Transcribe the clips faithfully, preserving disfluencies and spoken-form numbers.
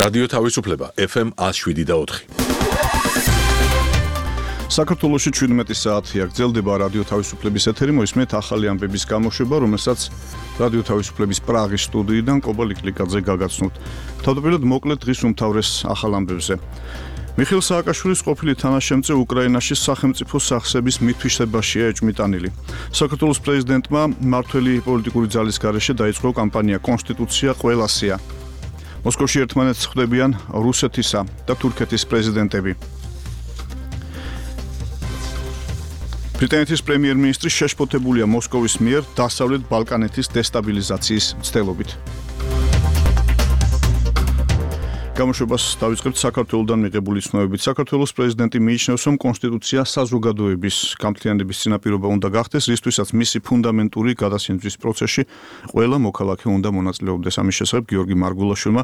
რადიო თავისუფლება ეფ ემ ათს შვიდი და ოთხი. საქართველოში შვიდმეტი საათია გრძელდება რადიო თავისუფლების ეთერი, მოისმენთ ახალი ამბების გამოშვება, რომელსაც რადიო თავისუფლების პრაღის სტუდიიდან კობა ლიკლიკაძე გაგაცნობთ. თავდაპირველად მოკლედ დღის უმთავრეს ახალ ამბებზე. მიხეილ სააკაშვილის ყოფილი თანაშემწე უკრაინაში სახელმწიფო სახსების მითვისებაშია ეჭვმიტანილი. საქართველოს პრეზიდენტმა მმართველი პოლიტიკური ძალის გარეშე დაიწყო კამპანია კონსტიტუცია ყველასია. მოსკოვში ერთმანეთს ხვდებიან რუსეთისა და თურქეთის პრეზიდენტები. ბრიტანეთის პრემიერ-მინისტრი შეშფოთებულია მოსკოვის მიერ დასავლეთ ბალკანეთის დესტაბილიზაციის მცდელობით. გამოშვებას დავიწყებთ საქართველოსდან მიღებული ცნობებით. საქართველოს პრეზიდენტი მიიჩნევს, რომ კონსტიტუცია საზოგადოების გამთლიანების წინაპირობა უნდა გახდეს, რისთვისაც მისი ფუნდამენტური გადასინჯვის პროცესში ყველა მოქალაქე უნდა მონაწილეობდეს. ამის შესახებ გიორგი მარგულაშვილმა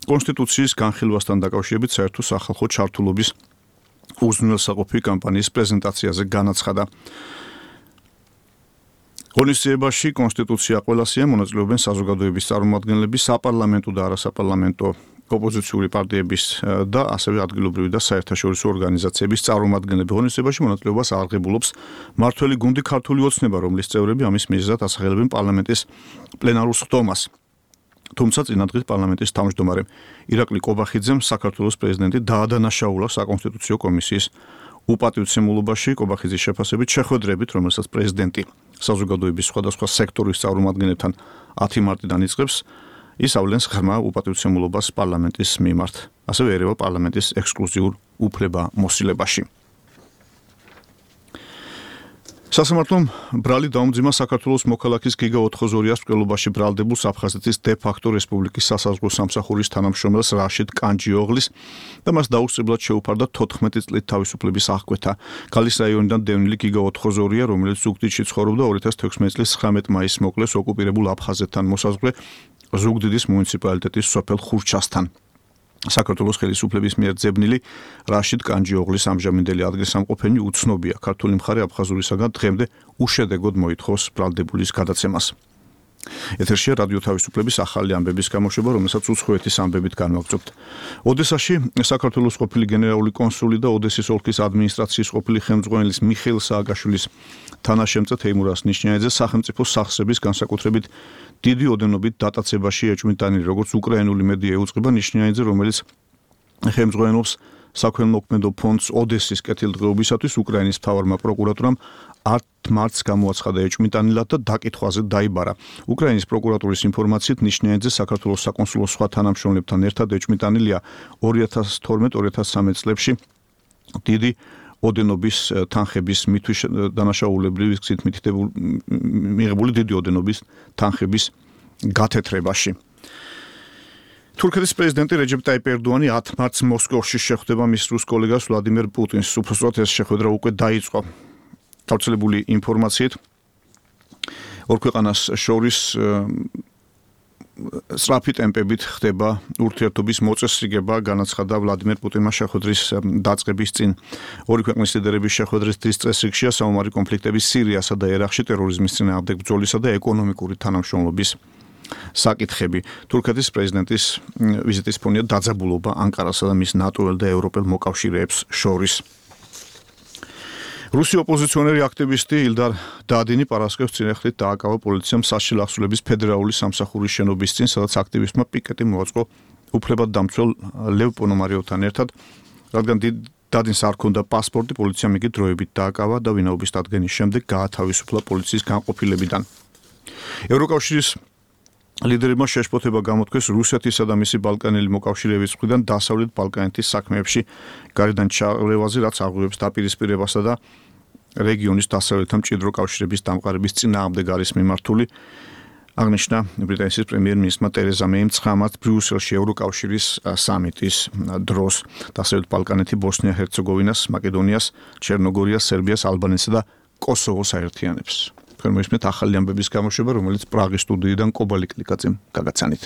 კონსტიტუციის განხილვასთან დაკავშირებით საერთო სახალხო ჩართულობის უზრუნველსაყოფი კამპანიის პრეზენტაციაზე განაცხადა. ღონისძიებაში კონსტიტუცია ყველასია მონაწილეობენ საზოგადოების წარმომადგენლები, საპარლამენტო და არასაპარლამენტო ოპოზიციური პარტიების და ასევე ადგილობრივი და საერთაშორისო ორგანიზაციების წარმომადგენლები. ღონისძიებაში მონაწილეობას აღებულობს მმართველი გუნდი ქართული ოცნება, რომლის წევრები ამის მიზეზად ასახელებენ პარლამენტის პლენარულ სხდომას. თუმცა წინადღის პარლამენტის თავმჯდომარე ირაკლი კობახიძემ საქართველოს პრეზიდენტი დაადანაშაულა საკონსტიტუციო კომისიის უპატივცემულობაში. კობახიძის შეფასებით შეხვედრებით, რომელსაც პრეზიდენტი საზოგადოების სხვადასხვა სექტორის წარმომადგენლებთან ათი მარტიდან იწყებს, ისავლენს ღრმა უპატივცემულობას პარლამენტის მიმართ, ასევე ერევა პარლამენტის ექსკლუზიურ უფლებამოსილებაში. სასამართლომ ბრალი დაუმძიმა საქართველოს მოქალაქის გიგა ოთხოზორიას მკვლელობაში ბრალდებულს აფხაზეთის დე-ფაქტო რესპუბლიკის სასაზღვრო სამსახურის თანამშრომელს რაშიდ კანჯიოღლის და მას დაუსწრებლად შეუფარდა თოთხმეტი წლით თავისუფლების აღკვეთა. ქალის რაიონიდან დევნილი გიგა ოთხოზორია, რომელიც ზუგდიდში ცხოვრობდა, ორი ათას თექვსმეტი წლის ცხრამეტ მაისს მოკლეს ოკუპირებულ აფხაზეთთან მოსაზღვრე ზუგდიდის მუნიციპალიტეტის სოფელ ხურჩასთან. საქართველოს ხელისუფლების მიერ ძებნილი რაშიდ კანჯიოღლის ამჟამინდელი ადგილსამყოფელი უცნობია. ქართული მხარე აფხაზურისაგან დღემდე უშედეგოდ მოითხოვს ბრალდებულის გადაცემას. ეთერშია რადიო თავისუფლების ახალი ამბების გამოშვება, რომელსაც უცხოეთის ამბებით განვაგრძობთ. ოდესაში საქართველოს ყოფილი გენერალური კონსული და ოდესის ოლქის ადმინისტრაციის ყოფილი ხელმძღვანელის მიხეილ სააკაშვილის თანაშემწე თეიმურას ნიშნიანიძე სახელმწიფო სახსრების განსაკუთრებით დიდი ოდენობით დატაცებაში ეჭვმიტანილი, როგორც უკრაინული მედია ეუწყება. ნიშნიანიძე, რომელიც ხელმძღვანელობს საქველმოქმედო ფონდს ოდესის კეთილდღეობისათვის, უკრაინის მთავარმა პროკურატურამ ათ მარტს გამოაცხადა ეჭვმიტანილად და დაკითხვაზე დაიბარა. უკრაინის პროკურატურის ინფორმაციით ნიშნიანიძე საქართველოს საკონსულო სხვა თანამშრომლებთან ერთად ეჭვმიტანილია ორი ათას თორმეტ ორი ათას სამეც წლებში დიდი ოდენობის თანხების მითვის დანაშაულებრივი გზით მიღებული დიდი ოდენობის თანხების გათეთრებაში. თურქეთის პრეზიდენტი რეჯეპ ტაიპ ერდოანი ათ მარტს მოსკოვში შეხვდება მის რუს კოლეგას ვლადიმერ პუტინს. უпроსტად ეს შეხვედრა უკვე დაიწყო. გავრცელებული ინფორმაციით ორ ქვეყანას შორის სწრაფი ტემპებით ხდება ურთიერთობის მოწესრიგება, განაცხადა ვლადიმერ პუტინმა შეხვედრის დაწყების წინ. ორი ქვეყნის ლიდერების შეხვედრის დღის წესრიგშია საომარი კონფლიქტების სირიასა და ერაყში, ტერორიზმის წინააღმდეგ ბრძოლისა და ეკონომიკური თანამშრომლობის საკითხები. თურქეთის პრეზიდენტის ვიზიტის ფონია დაძაბულობა ანკარასა და მის ნატოელ და ევროპელ მოკავშირეებს შორის. რუსი ოპოზიციონერი აქტივისტი ილდარ დადინი პარასკევს წინააღმდეგ დააკავა პოლიციამ სასჯელ ახსულების ფედერალური სამსახურის შენობის წინ, სადაც აქტივისტმა პიკეტი მოაწყო უფლებადდამცველ ლევ პონომარიოვთან ერთად, რადგან დადინს არ ჰქონდა პასპორტი, პოლიციამ იგი დროებით დააკავა და ვინაობის დადგენის შემდეგ გაათავისუფლა პოლიციის განყოფილებიდან. ევროკავშირის ლიდერებმა შეშფოთება გამოთქვეს რუსეთისა და მისი ბალკანელი მოკავშირეების მხრიდან დასავლეთ ბალკანეთის საქმეებში გარედან ჩარევაზე, რაც აღუევს დაპირისპირებასა და რეგიონის დასავლეთთან მჭიდრო კავშირების დამყარების წინააღმდეგ არის მიმართული. აღნიშნა ბრიტანეთის პრემიერ-მინისტრმა ტერეზა მეიმ ცხამად ბრიუსელში ევროკავშირის სამიტის დროს. დასავლეთ ბალკანეთი ბოსნია-ჰერცეგოვინას, მაკედონიას, ჩერნოგორიას, სერბიას, ალბანეთსა და კოსოვოს აერთიანებს. თქვენ მოისმენთ ახალი ამბების გამოშვება, რომელიც პრაღის სტუდიიდან კობა ლიკლიკაძემ გაგაცანით.